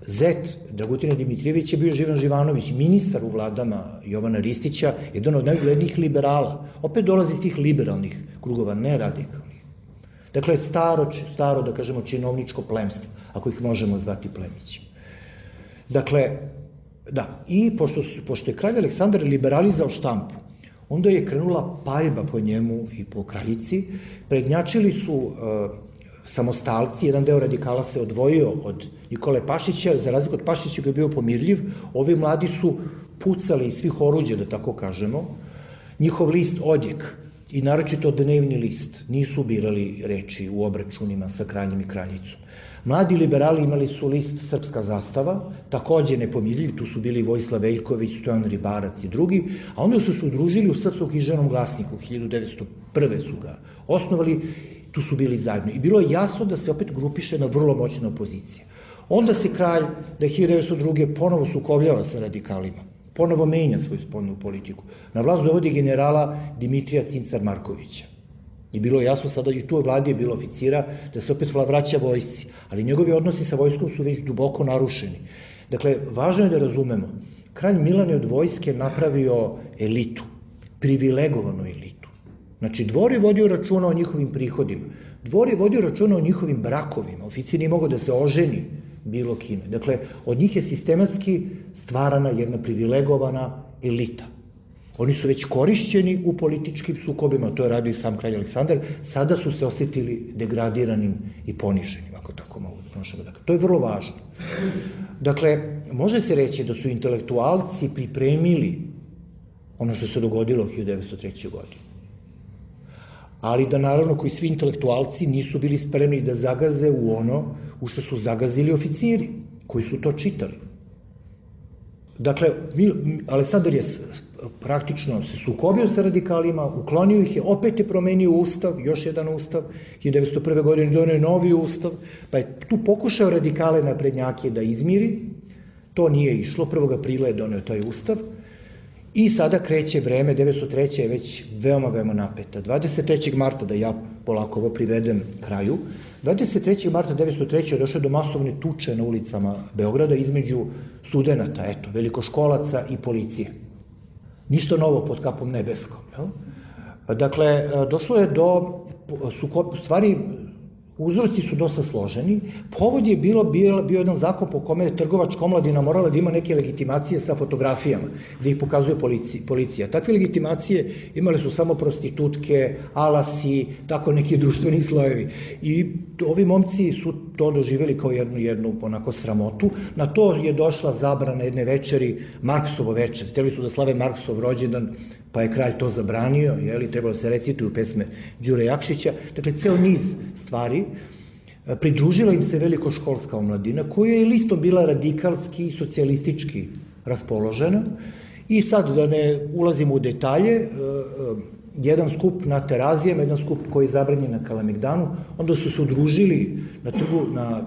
Zet Dragutina Dimitrijevića je bio Živan Živanović, ministar u vladama Jovana Ristića, jedan od najuglednijih liberala. Opet dolazi iz tih liberalnih krugova, ne radikalnih. Dakle, staro, da kažemo, činovničko plemstvo, ako ih možemo zvati plemićima. Dakle, da, i pošto je kralj Aleksandar liberalizao štampu, onda je krenula paljba po njemu i po kraljici, prednjačili su samostalci, jedan deo radikala se odvojio od Nikole Pašića, za razliku od Pašića koji je bio pomirljiv, ovi mladi su pucali iz svih oruđa, da tako kažemo, njihov list Odjek i naročito dnevni list nisu birali reči u obračunima sa kraljem i kraljicom. Mladi liberali imali su list Srpska zastava, takođe nepomirljiv, tu su bili Vojislav Veljković, Stojan Ribarac i drugi, a onda su se udružili u Srpskom književnom glasniku, 1901. su ga osnovali, tu su bili zajedno. I bilo je jasno da se opet grupiše na vrlo moćna opozicija. Onda se kralj, da je 1902. ponovo sukobljava sa radikalima, ponovo menja svoju spoljnu politiku. Na vlast dovodi generala Dimitrija Cincar-Markovića. I bilo je jasno sada i tu vladi je bilo oficira da se opet vraća vojsci, ali njegovi odnosi sa vojskom su već duboko narušeni. Dakle, važno je da razumemo, kralj Milan je od vojske napravio elitu, privilegovanu elitu. Znači, dvor je vodio računa o njihovim prihodima, dvor je vodio računa o njihovim brakovima, oficir nije mogao da se oženi bilo kime. Dakle, od njih je sistematski stvarana jedna privilegovana elita. Oni su već korišćeni u političkim sukobima, to je radio i sam kralj Aleksandar, sada su se osetili degradiranim i poniženim, ako tako možemo da kažem. To je vrlo važno. Dakle, može se reći da su intelektualci pripremili ono što se dogodilo u 1903. godini. Ali da naravno koji svi intelektualci nisu bili spremni da zagaze u ono u što su zagazili oficiri, koji su to čitali. Dakle, Aleksandar je praktično se sukobio sa radikalima, uklonio ih je, opet je promenio ustav, još jedan ustav, 1901. godine donio novi ustav, pa je tu pokušao radikale naprednjake da izmiri, to nije išlo, 1. aprila je donio taj ustav I sada kreće vreme, 903. je već veoma napeta. 23. marta, da ja polako ovo privedem kraju, 23. marta 903. je došlo do masovne tuče na ulicama Beograda između studenata, velikoškolaca i policije. Ništa novo pod kapom nebeskom. Dakle, došlo je do, stvari, uzroci su dosta složeni. Povod je bio jedan zakon po kome je trgovačka omladina morala da ima neke legitimacije sa fotografijama, gde ih pokazuje policija. Takve legitimacije imale su samo prostitutke, alasi, tako neki društveni slojevi. I ovi momci su to doživjeli kao jednu onako sramotu. Na to je došla zabrana jedne večeri, Marksovo večer. Hteli su da slave Marksov rođendan, pa je kralj to zabranio, trebalo se recituju pesme Đure Jakšića. Dakle, ceo niz stvari. Pridružila im se velikoškolska omladina, koja je listom bila radikalski i socijalistički raspoložena. I sad, da ne ulazimo u detalje, jedan skup na Terazijama, jedan skup koji je zabranjen na Kalemegdanu, onda su se udružili na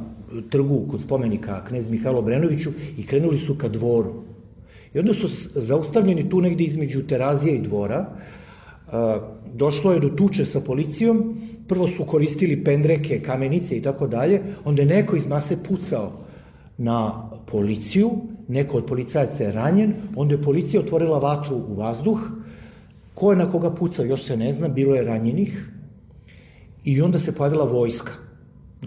trgu kod spomenika knez Mihajlo Obrenoviću i krenuli su ka dvoru. I onda su zaustavljeni tu negde između Terazije i dvora. Došlo je do tuče sa policijom, prvo su koristili pendreke, kamenice i tako dalje, onda je neko iz mase pucao na policiju, neko od policajaca je ranjen, onda je policija otvorila vatru u vazduh, ko je na koga pucao još se ne zna, bilo je ranjenih i onda se pojavila vojska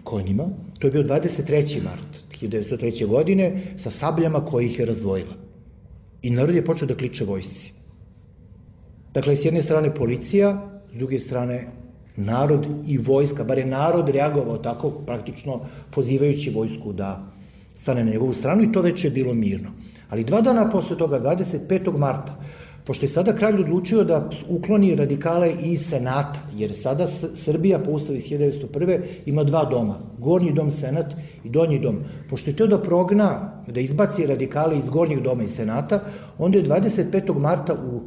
konjima, to je bio 23. mart 1903. godine sa sabljama koje ih je razdvojila. I narod je počeo da kliče vojsci. Dakle, s jedne strane policija, s druge strane narod i vojska, bar je narod reagovao tako, praktično pozivajući vojsku da stane na njegovu stranu i to već je bilo mirno. Ali 2 dana posle toga, 25. marta, pošto je sada kralj odlučio da ukloni radikale iz Senata, jer sada Srbija po ustavu iz 1901. ima 2 doma, Gornji dom Senat i Donji dom. Pošto je to da progna, da izbaci radikale iz Gornjeg doma i Senata, onda je 25. marta u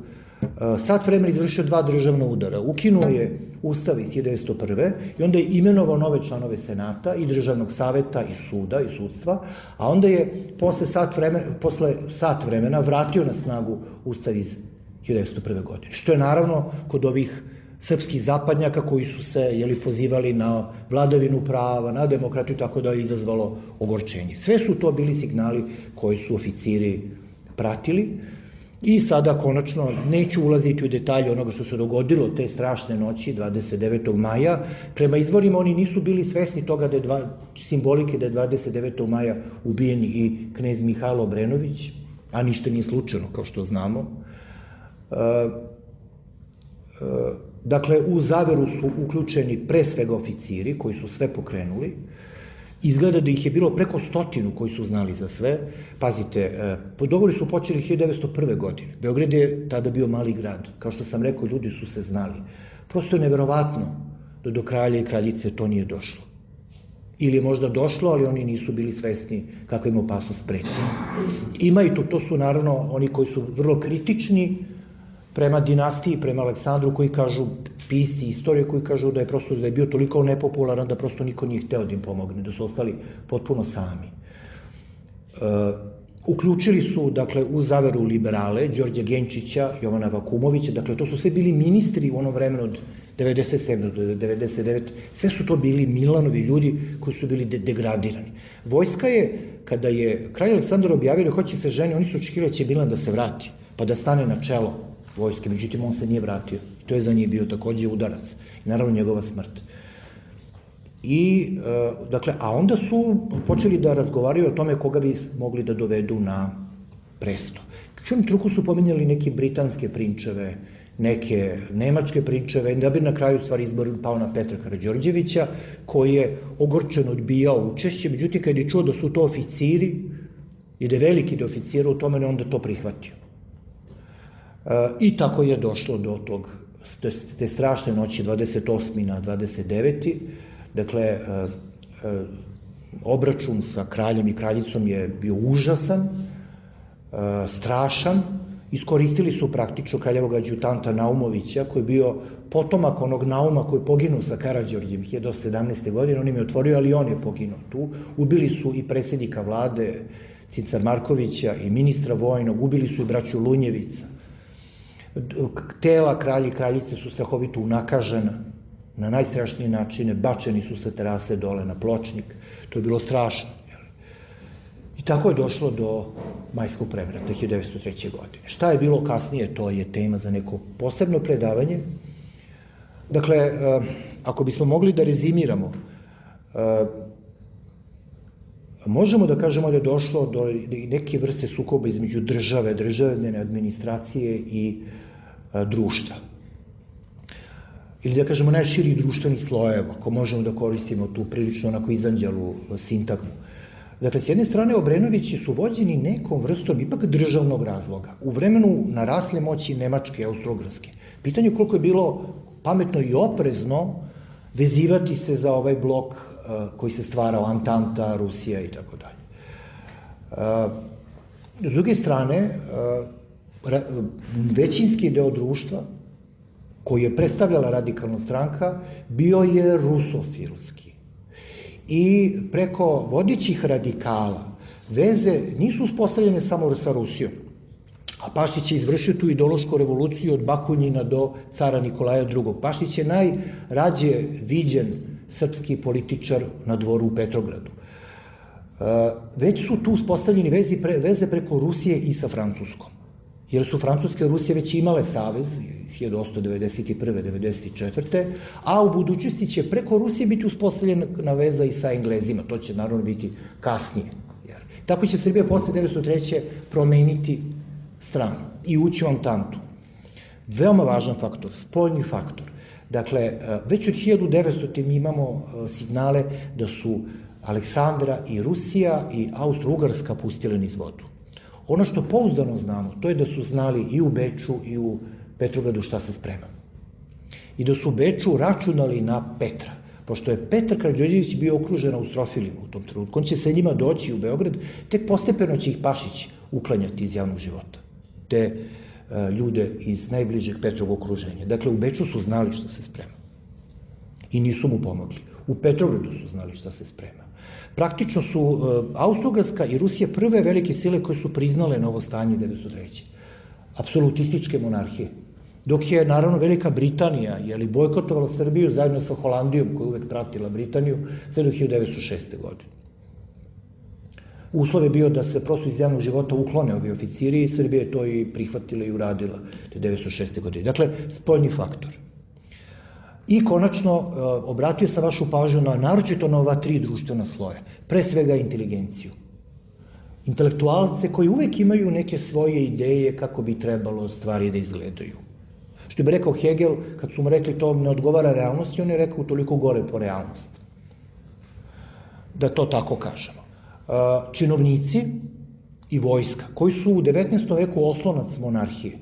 sat vremena izvršio 2 državna udara. Ukinuo je ustav iz 1901. i onda je imenovao nove članove Senata i državnog saveta i suda i sudstva, a onda je posle sat vremena vratio na snagu ustav iz 1901. godine. Što je naravno kod ovih srpskih zapadnjaka koji su se pozivali na vladavinu prava, na demokratiju, tako da je izazvalo ogorčenje. Sve su to bili signali koji su oficiri pratili. I sada, konačno, neću ulaziti u detalje onoga što se dogodilo te strašne noći, 29. maja. Prema izvorima oni nisu bili svesni toga da je simbolike da je 29. maja ubijen i knez Mihajlo Obrenović, a ništa nije slučajno, kao što znamo. Dakle, u zaveru su uključeni pre svega oficiri koji su sve pokrenuli. Izgleda da ih je bilo preko 100 koji su znali za sve. Pazite, dogovori su počeli 1901. godine. Beograd je tada bio mali grad. Kao što sam rekao, ljudi su se znali. Prosto je neverovatno da do kralja i kraljice to nije došlo. Ili je možda došlo, ali oni nisu bili svesni kakva im opasnost preti. Ima i to su naravno oni koji su vrlo kritični prema dinastiji, prema Aleksandru, koji kažu, pisci istorije koji kažu da je bio toliko nepopularan da prosto niko nije hteo da im pomogne, da su ostali potpuno sami. Uključili su, dakle, u zaveru liberale, Đorđa Genčića, Jovana Vakumovića, dakle, to su sve bili ministri u onom vremenu od 97. do 99. Sve su to bili Milanovi ljudi koji su bili degradirani. Vojska je, kada je kralj Aleksandar objavio da hoće se ženi, oni su očekivali da će Milan da se vrati, pa da stane na čelo vojske, međutim on se nije vratio. To je za njih bio takođe udarac. I naravno njegova smrt. Dakle, a onda su počeli da razgovaraju o tome koga bi mogli da dovedu na presto. U tom truku su pominjali neke britanske prinčeve, neke nemačke prinčeve, da bi na kraju stvari izbor pao na Petra Karađorđevića, koji je ogorčeno odbijao učešće, međutim kad je čuo da su to oficiri i da je veliki da oficira u tome, onda to prihvatio. I tako je došlo do te strašne noći 28. na 29. Dakle, obračun sa kraljem i kraljicom je bio užasan, strašan. Iskoristili su praktično kraljevog adjutanta Naumovića, koji je bio potomak onog Nauma koji je poginuo sa Karađorđem 1917. godine. On im je otvorio, ali on je poginuo tu. Ubili su i predsjednika vlade Cincar Markovića i ministra vojnog, ubili su i braću Lunjevica. Tela kralja i kraljice su strahovito unakažena, na najstrašnije načine, bačeni su sa terase dole na pločnik, to je bilo strašno. I tako je došlo do majskog prevrata 1903. godine. Šta je bilo kasnije, to je tema za neko posebno predavanje. Dakle, ako bismo mogli da rezimiramo, možemo da kažemo da je došlo do neke vrste sukoba između državne administracije i društva. Ili da kažemo najširih društvenih slojeva, ako možemo da koristimo tu prilično onako izanđalu sintagmu. Dakle, s jedne strane, Obrenovići su vođeni nekom vrstom ipak državnog razloga. U vremenu narasle moći Nemačke i Austro-Ugarske. Pitanje je koliko je bilo pametno i oprezno vezivati se za ovaj blok koji se stvarao, Antanta, Rusija i tako dalje. S druge strane, većinski deo društva koji je predstavljala radikalna stranka bio je rusofilski. I preko vodećih radikala veze nisu uspostavljene samo sa Rusijom, a Pašić je izvršio tu ideološku revoluciju od Bakunjina do cara Nikolaja II. Pašić je najrađe viđen srpski političar na dvoru u Petrogradu. Već su tu uspostavljeni veze preko Rusije i sa Francuskom, jer su Francuska i Rusija već imale savez 1891-94. A u budućnosti će preko Rusije biti uspostavljena veza i sa Englezima, to će naravno biti kasnije. Tako će Srbija posle 1903. promeniti stranu i ući u Antantu. Veoma važan faktor, spoljni faktor. Dakle, već od 1900. mi imamo signale da su Aleksandra i Rusija i Austro-Ugarska pustile niz vodu. Ono što pouzdano znamo, to je da su znali i u Beču i u Petrogradu šta se sprema. I da su u Beču računali na Petra, pošto je Petar Karađorđević bio okružen austrofilima u tom trenutku. On će sa njima doći u Beograd, tek postepeno će ih Pašić uklanjati iz javnog života, te ljude iz najbližeg Petrovog okruženja. Dakle, u Beču su znali šta se sprema i nisu mu pomogli. U Petrogradu su znali šta se sprema. Praktično su Austro-Ugarska i Rusija prve velike sile koje su priznale novo stanje 1903. Apsolutističke monarhije. Dok je, naravno, Velika Britanija bojkotovala Srbiju zajedno sa Holandijom, koja je uvek pratila Britaniju, sve do 1906. godine. Uslov je bio da se prosto iz javnog života uklone ovi oficiri i Srbija je to i prihvatila i uradila 1906. godine. Dakle, spoljni faktor. I konačno, obratio sam vašu pažnju naročito na ova tri društvena sloja, pre svega inteligenciju. Intelektualce koji uvek imaju neke svoje ideje kako bi trebalo stvari da izgledaju. Što bi rekao Hegel, kad su mu rekli to ne odgovara realnosti, on je rekao toliko gore po realnost. Da to tako kažemo. Činovnici i vojska, koji su u 19. veku oslonac monarhije.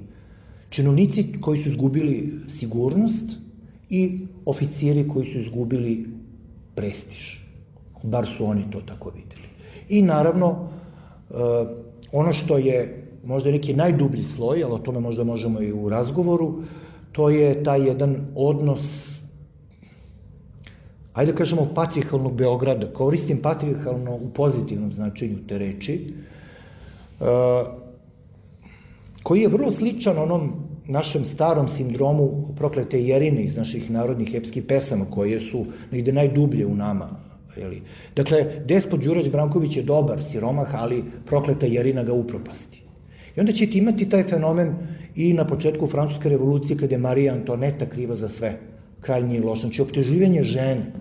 Činovnici koji su izgubili sigurnost i oficiri koji su izgubili prestiž. Bar su oni to tako videli. I naravno, ono što je možda neki najdublji sloj, ali o tome možda možemo i u razgovoru, to je taj jedan odnos, ajde da kažemo, patrijarhalnog Beograda. Koristim patrijarhalno u pozitivnom značenju te reči, koji je vrlo sličan onom našem starom sindromu proklete Jerine iz naših narodnih epskih pesama, koje su negde najdublje u nama. Dakle, despot Đurađ Branković je dobar siromah, ali prokleta Jerina ga upropasti. I onda ćete imati taj fenomen i na početku Francuske revolucije, kada je Marija Antoneta kriva za sve. Krajnji loš. Znači, optuživanje žene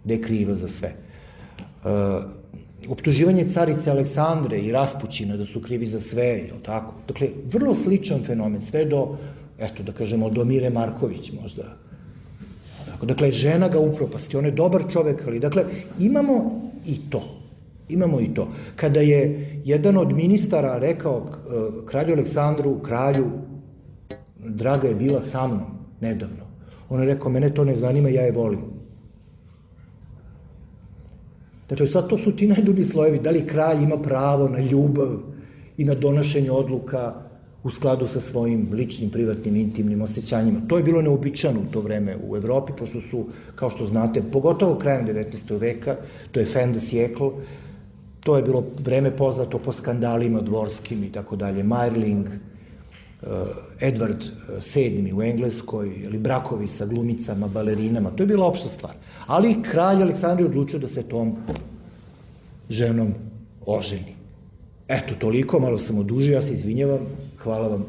da je kriva za sve. Optuživanje carice Aleksandre i Raspućina da su krivi za sve, je li tako? Dakle, vrlo sličan fenomen, sve do, eto, da kažemo, do Mire Marković možda. Dakle, žena ga upropasti, on je dobar čovek, ali, dakle, imamo i to. Imamo i to. Kada je jedan od ministara rekao kralju Aleksandru, kralju, draga je bila sa mnom nedavno, on je rekao, mene to ne zanima, ja je volim. Dakle, sad to su ti najdublji slojevi, da li kralj ima pravo na ljubav i na donošenje odluka u skladu sa svojim ličnim, privatnim, intimnim osjećanjima. To je bilo neobičajno u to vreme u Evropi, pošto su, kao što znate, pogotovo krajem 19. veka, to je fin de siècle, to je bilo vreme poznato po skandalima dvorskim i tako dalje, Majrling, Edward VII u Engleskoj, ili brakovi sa glumicama, balerinama, to je bila opšta stvar. Ali kralj Aleksandar je odlučio da se tom ženom oženi. Eto, toliko, malo sam odužio, ja se izvinjavam, hvala vam.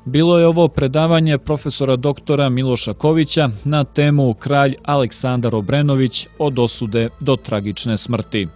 Bilo je ovo predavanje profesora doktora Miloša Kovića na temu Kralj Aleksandar Obrenović od osude do tragične smrti.